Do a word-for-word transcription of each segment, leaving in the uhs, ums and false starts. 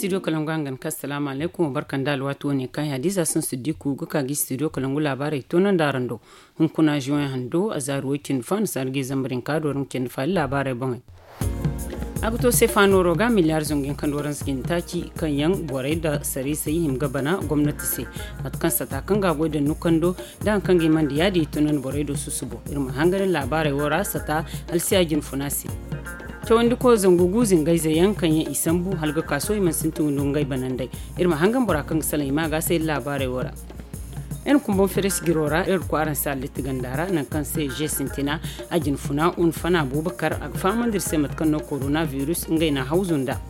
Studio kalangu hangan ka assalamu alaikum wa barka nda alwaati wane kaŋ hadiza sun siddiku ga ka gi studio kalangu laabaarey toonandi araŋ do. Hunkuna juwen hando a zaari way cindi fo a na saari ga zambar hinka do araŋ ga cindi faali laabaarey boŋey. A ga to seefa nooro ga miliyaar zangu yaŋ kaŋ da waranza cindi taaci kaŋ yaŋ borey nda sarisey hima ga bana gomnati se. Mate kaŋ sata kaŋ ga a goy da nukando da hari kaŋ ga himandi yaadin i tunandi borey do susubo iri ma hangan laabaarey wo ra sata halsiya jinfuna se. Cawandi koy zangu gu zingayze yaŋ kaŋ yaŋ i sambu hala ga kaaso i mana sintin windi ngey banandey. Iri ma hangan bora kaŋ ga salaŋ i ma ga se iri laabaarey wo ra. Iri kumbaŋ feres jiro ra iri kwaaraŋ se allitti ganda ra nangu kaŋ se je sintina a jinfuna unfana abubakar a ga fahamandi iri se mate kaŋ no korona virus ngey na hawzu nda.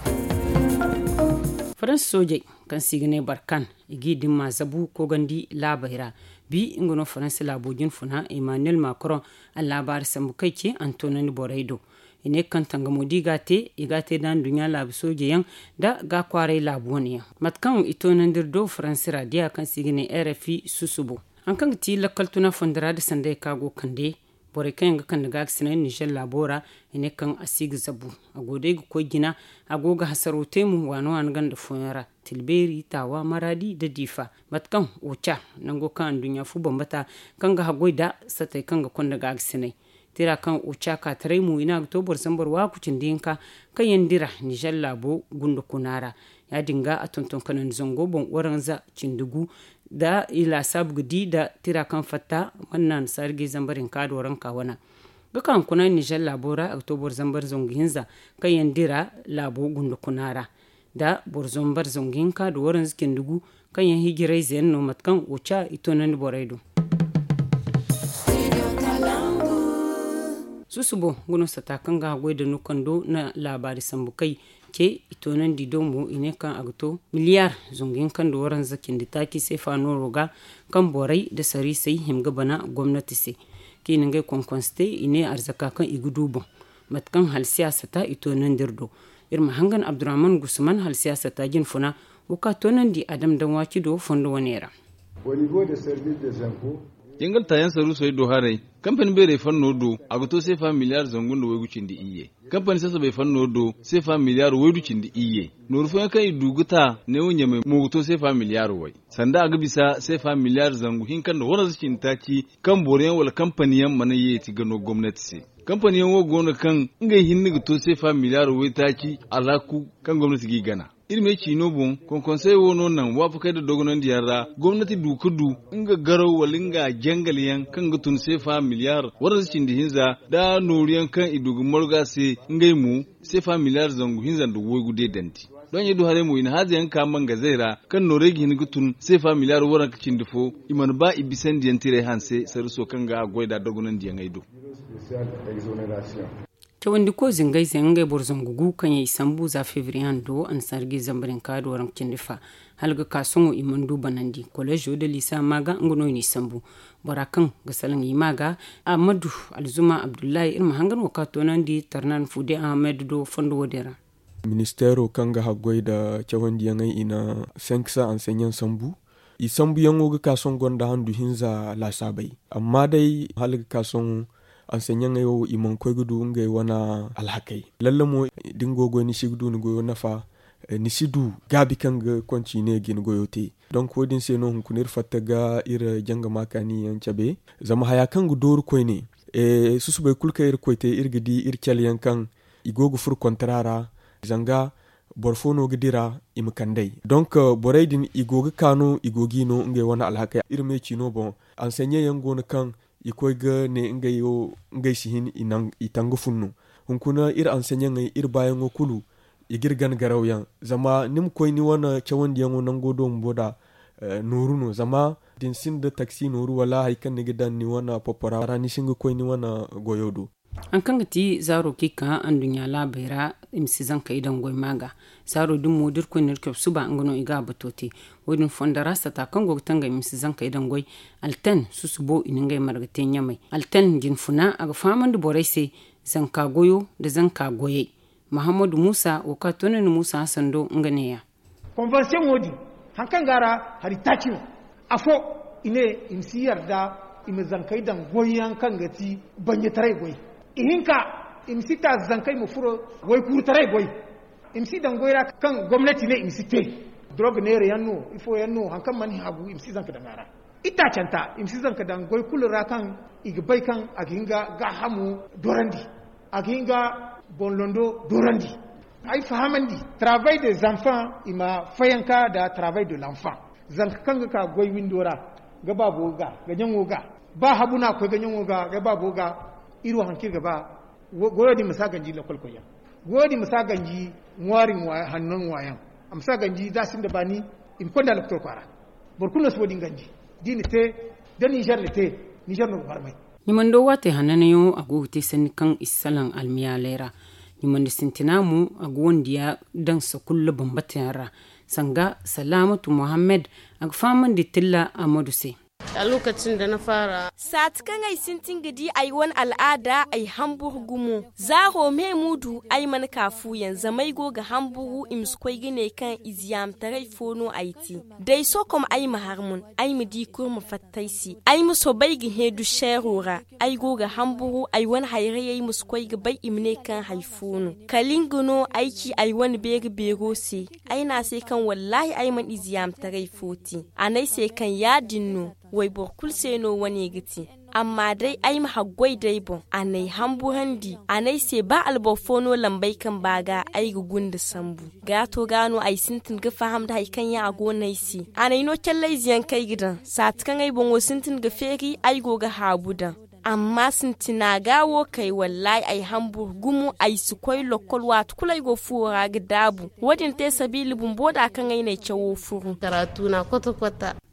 Faransa soojey kaŋ se i ga ne barkan i g'i dimma zabu koogandi laabey ra. Bi nga no faransa laabo jinfuna emmanuel macron a laabaari sambu kaŋ i ce a na toonandi borey do. I ne kaŋ tangamo da i ga a te i ga a te nda nduɲɲa laabu sooje yaŋ nda ga kwaaray laabu wane yaŋ. Mate kaŋ i toonandi iri do faransi ra diya kaŋ se i ga ne rfi susubo hari kaŋ ga ti lakkal tuna fondo ra nda sanday kaŋ a go ga kande borey kaŋ yaŋ ga kande gaagasinay nizer laabo ra. I ne kaŋ a si ga zabu a go day ga koy jina a go ga hasaro te mo waani waani ganda fooyaŋ ra tilbeeri taawa maraadi nda diifa. Mate kaŋ oca nango kaŋ anduɲɲa fo bambata kaŋ ga haggoy nda satey kaŋ ga konda gaagasinay tira kaŋ oca ka taray mo i ne a ga to boro zambar waaku cindi hinka kaŋ yaŋ dira nizer laabo gunda kuna ra. Ya- din ga a tonton kanandi zango boŋ waranza cindi gu nda i laasaabu ga di nda tira kaŋ fatta mana naanu saari ga i zambar hinka do ranka wana ga ka hunkuna nizer laabo ra a ga to boro zambar zangu hinza kaŋ yaŋ dira laabo gunda kuna ra nda boro zambar zangu hinka nda waranza cindi gu kaŋ yaŋ hijirayze yaŋ no mate kaŋ oca i toonandi borey do. Susubo nga no sata kaŋ ga haggoy da nukando na laabaari sambu kay ce i toonandi do mo i ne kaŋ a ga to miliyaar zangu hinka nda waranza cindi taaci seefa nooro ga kaŋ borey nda sariisey hima ga bana gomnati se kaŋ i na ngey konkonse te i ne arzaka kaŋ i ga du boŋ. Mate kaŋ hala siyaasa ta i toonandi iri do iri ma hangan abdurrahman gusman hala siyaasa ta jinfuna wo kaŋ a toonandi a dama daŋ waaci do fondo wane ra. Jangal taayaŋ saruusey do haray kampani beerey fanno do a ga to seefa miliyaar zangu nda waygu cindi iyye. Kampani sasabey fanno do seefa miliyaar waydu cindi iyye. Nooru fooyaŋ kaŋ i du ga ta neewo ɲamey mo ga to seefa miliyaar way sanda a ga bisa seefa miliyaar zangu hinka nda waranza cindi taaci kaŋ boro yaŋ wala kampani yaŋ mana yeeti ga no gomnati se. Kampani yaŋ wo go no kaŋ ngey hinne ga to seefa miliyaar waytaaci alhaku kaŋ gomnati g'i gana. Iri me ciino boŋ konkonsey wo no naŋ waafakey nda dogonandiyaŋ ra gomnati du ga du nga garaw wala nga jangal yaŋ kaŋ ga tun seefa miliyaar waranza cindi hinza nda nooru yaŋ kaŋ i du ga margu a se ngey mo seefa miliyaar zangu hinza nda waygu deedandi. Doŋ ɲey du haray mo i na haaza yaŋ ka mangazey ra kaŋ noorey ga hin ga tun seefa miliyaar waranka cindi fo i mana ba i bisandiyaŋ tiray hanse sarriso kaŋ ga a goy nd'a dogonandiyaŋey do. Cawandi koy zingayze ngey boro zangu gu kaŋ yaŋ i sambu za febriye hando annasaara ga i zambar hinka da waranka cindi fa hala ga ka sohõ i mana du banandi koleezo nda liisa ma ga nga no i n'i sambu. Bora kaŋ ga salaŋ i ma ga ahmadu alzuma abdullahi iri ma hangan wo ka toonandi tarnan fude ahmed do fondo wo- din ra. Ministeero kaŋ ga haggoy nda cawandiyaŋey i na senk sa anseɲaŋ sambu. I sambuyaŋo ga ka sohõ gonda handu hinza laasaabey amma day hala ga ka sohõ anseɲaŋey wo i mana koy ga du ngey wane alhakey. Lalle mo da ni go ga goy ni si ga du ni goyo nafa. Ni si du gaabi kaŋ ga kontiine ga ni goyo te. Donk wo- din se no hunkuna iri fatta ga iri jangama kaaniyaŋ cabe. Zama haya kaŋ ga dooru koyne susubay kulu kaŋ iri ga koy te iri ga di iri caleyaŋ kaŋ i go ga furo kontara ra. Zanga boro fo no ga dira i ma kand'ey donk borey din i go ga ka no i go g'i no ngey wane alhakey iri me ciino boŋ. Anseɲeyaŋ go no kaŋ i koy ga ne ngey si hin i tanga funno. Hunkuna iri anseɲeyaŋey iri baayaŋo kulu i g'iri gana garawyaŋ. Zama ni ma koy ni wane cawandiyaŋo nango do bumbo nd'a nooru no zama da ni sinda taksi nooru wala hari kaŋ ni ga daŋ ni wane popora ra ni si hin ga koy ni wane goyo do. Hari kaŋ ga ti zaaro kaŋ i ka anduɲɲa laabey ra i ma si zankey daŋ goy ma ga. Zaaro din mo da irkoy na iri cabe suba nga no i ga a bato te. Wo- din fondo ra sata kaŋ go ga tangam i ma si zankey daŋ goy. Alten susubo i na ngey marga te ɲamey alten jinfuna a ga fahamandi borey se. Zanka goyo nda zanka goyey. Mahammadu muusa wo kaŋ a toonandi muusa hassan do nga neeya. Konvansiyoŋo din hari kaŋ go a ra hari taaci no. Afo i ne i ma si yarda i ma zankey daŋ goyyaŋ kaŋ ga ti banjetaray goy. Ihinka i ma si taaza zankey ma furo waykuurutaray goy. I ma si daŋ goy ra kaŋ gomnati ne i ma si te. Dorog neera yaŋ no ifo yaŋ no hari kaŋ mana hagu i ma si zanka daŋ a ra. Itaacanta i ma si zanka daŋ goy kulu ra kaŋ i ga bay kaŋ a ga hin ga gaahamo dorandi, a ga hin ga boŋ londo dorandi. Ay fahamandi, travail des enfants i ma fayanka nda travail de l'enfant. Zanka kaŋ ga ka goy windo ra, ga baabo ga ga ɲaŋo ga, ba habu no a ga koy ga ɲaŋo ga ga baabo ga. Iri wo hari kaŋ iri ga ba goyo din ma si a ganji lakolkoyyaŋ, goyo din ma si a ganji ŋwaari hanno ŋwaayaŋ. A ma si a ganji za sinda baani. I ma konda lokotor kwaara. Boro kulu no si wo- din ganji. Da i na te, da ninzeer na te, ninzeer no ga barmay. Ɲumando waatey hananyaŋo a go ga te sanni kaŋ i si salaŋ almiyaaley ra. Ɲumandi sintina mo a ga wandiya daŋ sakulla bambata yaŋ ra. Sanga salaamatu mohammed, a ga fahamandi tilla amadu se. Saati kaŋ ay sintin ga di ay wane al'aada ay hamburu gumo. Zaaro me muudu ay mana ka fuuyaŋ zama ay go ga hamburu i ma si koy ga ne kaŋ i ziyaamataray fo no ay te. Day sokom ay ma har mun, ay ma di kurma fatta ay se. Ay ma soobay ga hẽ du seero ra. Ay go ga hamburu ay wane hayrayey ma si koy ga bay i ma ne kaŋ hari fo no. Kala nga no ay ci ay wane beeri beero se. Ay ne a se kaŋ wallaahi ay mana i ziyaamataray fo te. A ne ay se kaŋ ya- din no. Wayboro kulu se no wane ga te. Amma day ay ma haggoy d'ay boŋ a n'ay hamburandi a n'ay se ba alboro fo no lambey kaŋ ba ga ay ga gunda sambu. Gaato ga no ay sintin ga faham nda hari kaŋ yaŋ a go no ay se. A n'ay no calley ize yaŋ kaŋ ay ga daŋ saati kaŋ ay boŋo sintin ga feeri ay go ga haabu daŋ. Amma sintina ga wo kay wallaahi ay hamburu gumo ay si koy lokkol waati kulu ay go fuwo ra ga daabu. Wo- din te sabiila bumbo da kaŋ ay n'ay cawo furu.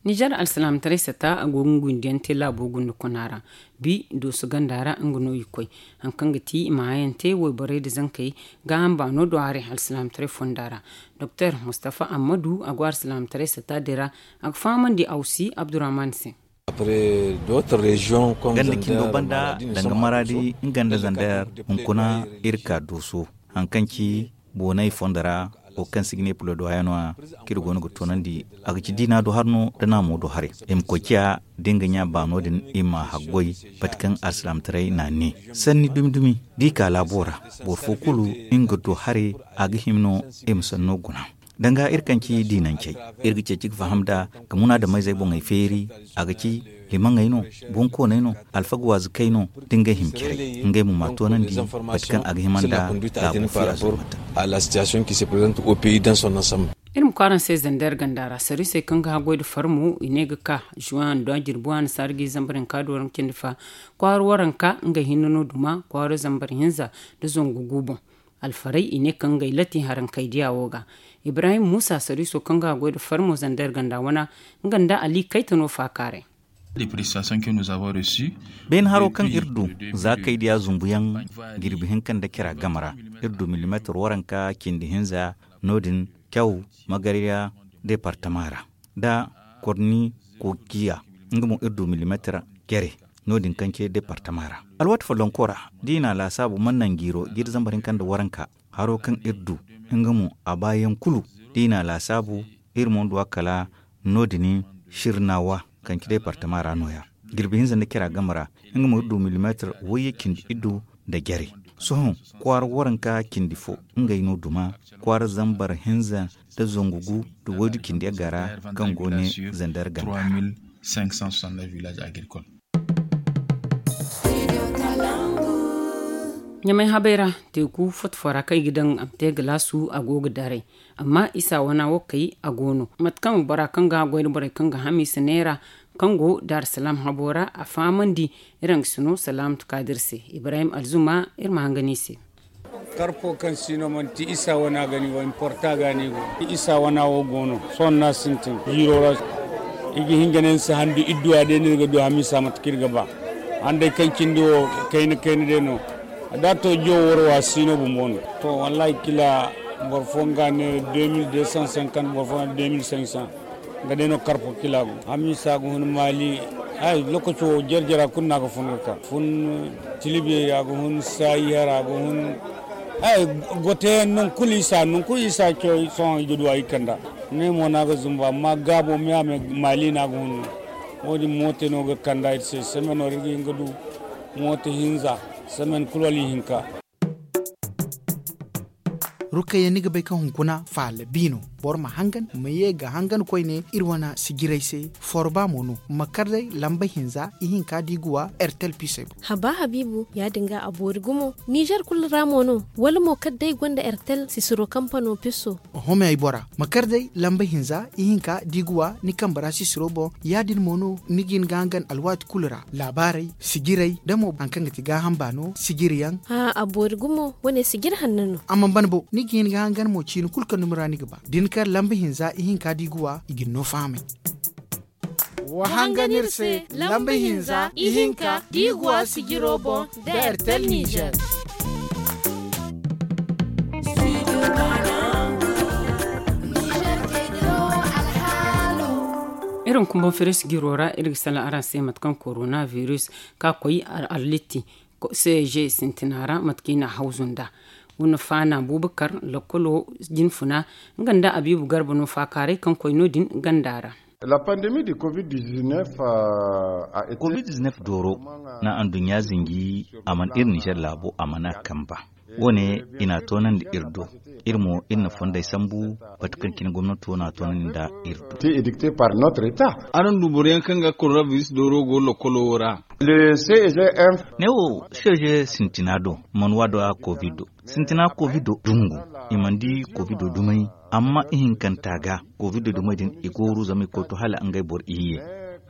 Nizer alsilaamataray sata a go ga ngundiyaŋ te laabo gunda kuna ra. Bi dooso ganda ra nga no i koy. Hari kaŋ ga ti i ma hayaŋ te wayborey nda zankey gaaham baano do haray alsilaamataray fonda ra. Doktor mustafa ammadu a go alsilaamataray sata din ra. A ga fahamandi awsi abdurrahman se. Ganda cindo banda danga maradi nga nda zander hunkuna iri ka dooso. Hari kaŋ ci boonay fondo ra wo kaŋ se i ga ne pulodoya no- ya kaŋ iri go no ga toonandi a ga ci diina do har no nda naamo do haray. I ma koy ciya da nga ɲa baano din i ma haggoy. Bate kaŋ alsilaamataray n'a ne sanni dumi dumi da i ka laabo ra boro fo kulu nga do haray a ga hima no i ma sanno guna. Danga iri kaŋ ci diinancey iri ga ceeci ga faham nd'a ga munaadameyzey boŋey feeri. A ga ci himaŋey no, bonkooney no, alfaga waazikey no da ngey hima care ngey mo ma toonandi. Mate kaŋ a ga hima nda laabo fiya zurmata. Iri ma kwaaraŋ se zander ganda ra sarrisey kaŋ ga haggoy nda farmo i ne ga ka juwan nda jirbi waani saara ga i zambar hinka do waranka cindi fa. Kwaara waranka ngey hinne no duma kwaara zambar hinza nda zangu gu boŋ. Alfaray i ne kaŋ ngey latti harankaydiya wo ga. Ibrahim muusa sariiso kaŋ ga a goy nda farmo zander ganda wana nga nda ali kayta no faakaaray. Beene haro kaŋ iri du za kaydiya zumbuyaŋ jirbi hinka nda cira game ra. Iri du milimeetar waranka cindi hinza no- din caw magarya deepartama ra nda korni koociya. Nga mo iri du milimeetar care no- din kaŋ ce deepartama ra. Alwaati follonko ra da i na a laasaabu mana naŋ jiiro jiiri zambar hinka nda waranka haro kaŋ iri du nga mo a baayaŋ kulu da i na a laasaabu iri mo ndu a kala no- din sirnawa kaŋ ci deepartama ra no- ya. Jirbi hinza nda cira game ra nga mo iri du milimeetar wayye cindi iddu nda jare. Sohõ kwaara waranka cindi fo ngey no duma kwaara zambar hinza nda zangu gu nda waydu cindi yagga ra kaŋ go ne zander ganda ra. Ɲamay habay ra teeku foto fo ra kaŋ i ga daŋ a ma te galaasu a go ga daray. Amma isa wana wo kay a go no mate kaŋ bora kaŋ ga goy nda borey kaŋ ga hamiisa neera kaŋ go daarsalaam habo ra a fahamandi. Iri nga si no salaamatu kaadir se ibrahim alzuma iri ma hanga no i se. Karfo kaŋ si no manti isa wana ga ni go importa ga ni go isa wana wo go no sohõ no a sintin jiiro ra. I ga hin ga ne ni si handu idduwa day no iri ga du hamiisa mate kaŋ iri ga ba. Handay kaŋ cindi wo kayna kayna day no. Da to jowo woro wa si no bumbo no. To wallahi kila boro fo nga ne deux mille deux cent cinquante boro fo nga ne deux mille cinq cent. Nga day no karfo kila go hamiisa ga hun maali. Ay lokaci wo jare jare a kulu no a ga fun ga ka fun tilibeeri a ga hun saayi hara a ga hun. Ay gote yaŋ nangu kulu isa nangu kulu isa coy sohõ i ga du a i kanda. Ne mo no a ga zumba amma gaabo me a me maali no a ga hun no. Wo- din moote no ga kanda iri se semaine wo iri ga hin ga du moote hinza semaine kulu wala ihinka. Rukayya, ni ga bay kaŋ hunkuna faala bi no. Boro ma hangan, ma ye ga hangan koyne iri wane sijirey se. Forba mo no, ma kar day lamba hinza ihinka da i ga wa ertel pisey boŋ. Haba habiibu, ya- din ga a boori gumo. Nizer kulu ra mo no, wala mo kala day gonda ertel sisiro kampano piso? Oho, me ay bora, ma kar day lamba hinza ihinka da i ga wa ni kambe ra sisiro boŋ. Ya- din mo no ni ga hin ga hangan alwaati kulu ra. Laabaarey, sijirey da mo hari kaŋ ga ti gaaham baano sijiriyaŋ. A boori gumo, wane sijiri hanno no. A mana ban bo, ni ga hin ga hangan mo ciini kulu kaŋ dumi ra ni ga ba. Da ni kar lamba hinza ihinka da i ga wa, i ga ni no fahamay. Wa hangan iri se, lamba hinza ihinka da i ga wa sijiro boŋ, da ertel nizer. Iri hunkuna boŋ firis jiro ra, iri ga salaŋ araŋ se mate kaŋ korona biris ka koy arlitti, seeje sintina ra mate kaŋ i na a hawzu nd'a. Wuna faana buubakar, lokkolo jinfuna, nga nda abiibu garba no faakaaray kaŋ koy no- din ganda ra. Covid dizinef dooro na anduɲɲa zinji, a mana iri nizer laabo, a mana a kamba. Wo- ne i na a toonandi iri do. Iri mo iri na fondey sambu, bate kaŋ cine gomnato na a toonandi nda iri do. Araŋ du boro yaŋ kaŋ ga korona biris dooro go lokkolo wo ra. Ne wo, seeje sintina do mana waado a kovido. Sintina kovido dungu, i mana di kovido dumey. Amma ihinkanta ga, kovido dumey din i gooru zama i koy to hala ngey boro iyye.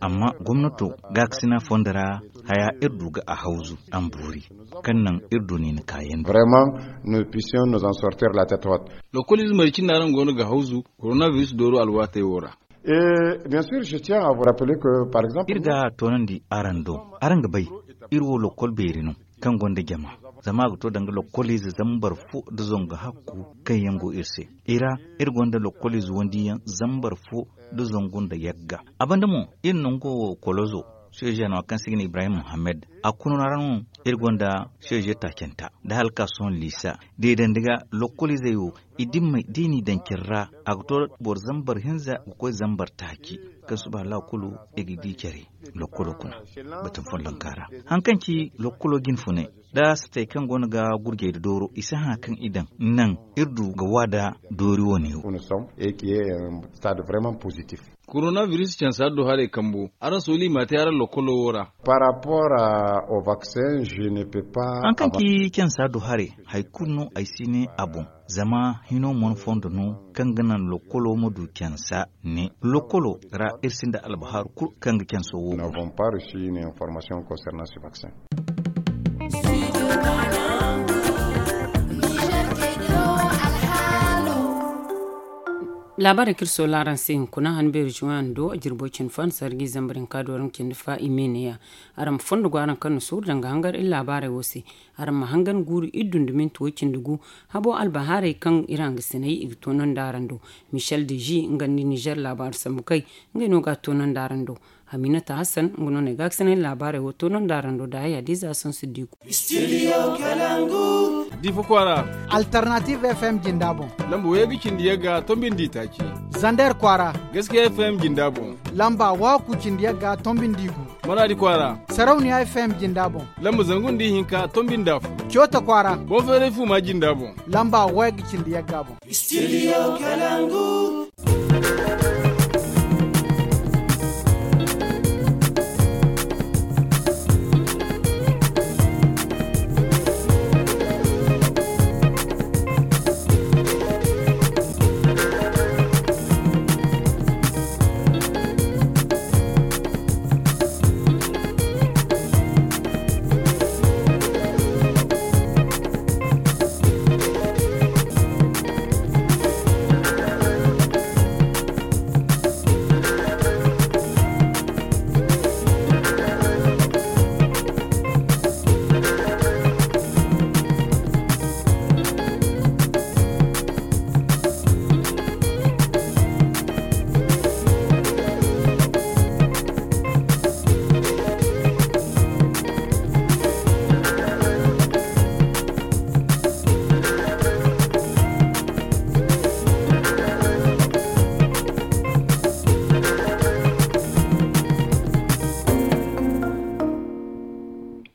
Amma gomnato gaakasina fondo ra, haya iri du ga a hawzu a ma boori, kaŋ naŋ iri du niina kaayandi. Lokoliize maricin no araŋ go no ga hawzu korona biris dooro alwaatey wo ra. Iri ga a toonandi araŋ do, araŋ ga bay, iri wo lokkol beeri no kaŋ gonda jama, zama a ga to danga lokkoliize zambar fo nda zangu hakku kaŋ yaŋ go iri se. I ra, iri gonda lokkoliize wandiyaŋ zambar fo nda zangu nda yagga. A banda mo, iri nango wo kolozo, seeje no kaŋ se i ga ne ibrahim muhammad, a kuna ra no iri gonda seeje taacanta nda hala ka sohõ liisa. Deedandi ga lokkoliizey wo, i dimmey da i n'i daŋ care ra, a ga to boro zambar hinza ga koy zambar taaci. Kaŋ suba hala kulu i ga di care lokkolo kuna, batun follonka ra, hari kaŋ ci lokkolo jinfunay, da satey kaŋ go no ga gurjey da dooro i si hã kaŋ i daŋ naŋ iri du ga wa da doori wane wo. Korona biris cansa do haray kambo, araŋ sooli i m'a te araŋ lokkolo wo ra. Hari kaŋ ci cansa do haray, hari kulu no ay si ne a boŋ. Zama hino mana fondo no kaŋ ga naŋ lokkolo ma du cansa ne lokkolo ra, iri sinda albahaaru kulu kaŋ ga canso wo. Laabaarey kaŋ iri soola araŋ se hunkuna han beeri juwayaŋ do a jirbo cindi fo a na sarji zambar hinka do araŋ cindi fa i me neeya. Araŋ ma fondo go araŋ kaŋ na suuru danga hangar iri laabaarey wo se. Araŋ ma hangan guuru iri dunduminti wo cindi gu habo albahaarey kaŋ iri hangasiney i ga toonandi araŋ do. Michel deji nga nda nizer laabaaru sambu kay, ngey no ga a toonandi araŋ do. Haminata hassan nga no ne gaakasiney laabaarey wo toonandi araŋ do da haya diiza sansu diiku. Diifa kwaara. Alternative fm jinda boŋ. Lamba wayga cindi yagga tombindi taaci. Zander kwaara. Gaskiya fm jinda boŋ. Lamba waaku cindi yagga tombindi gu. Maraadi kwaara. Sarauniya fm jinda boŋ. Lamba zangu nda ihinka tombindi afo. Coota kwaara. Boŋ feeray fuuma jinda boŋ. Lamba wayga cindi yagga boŋ. Studio kalangu.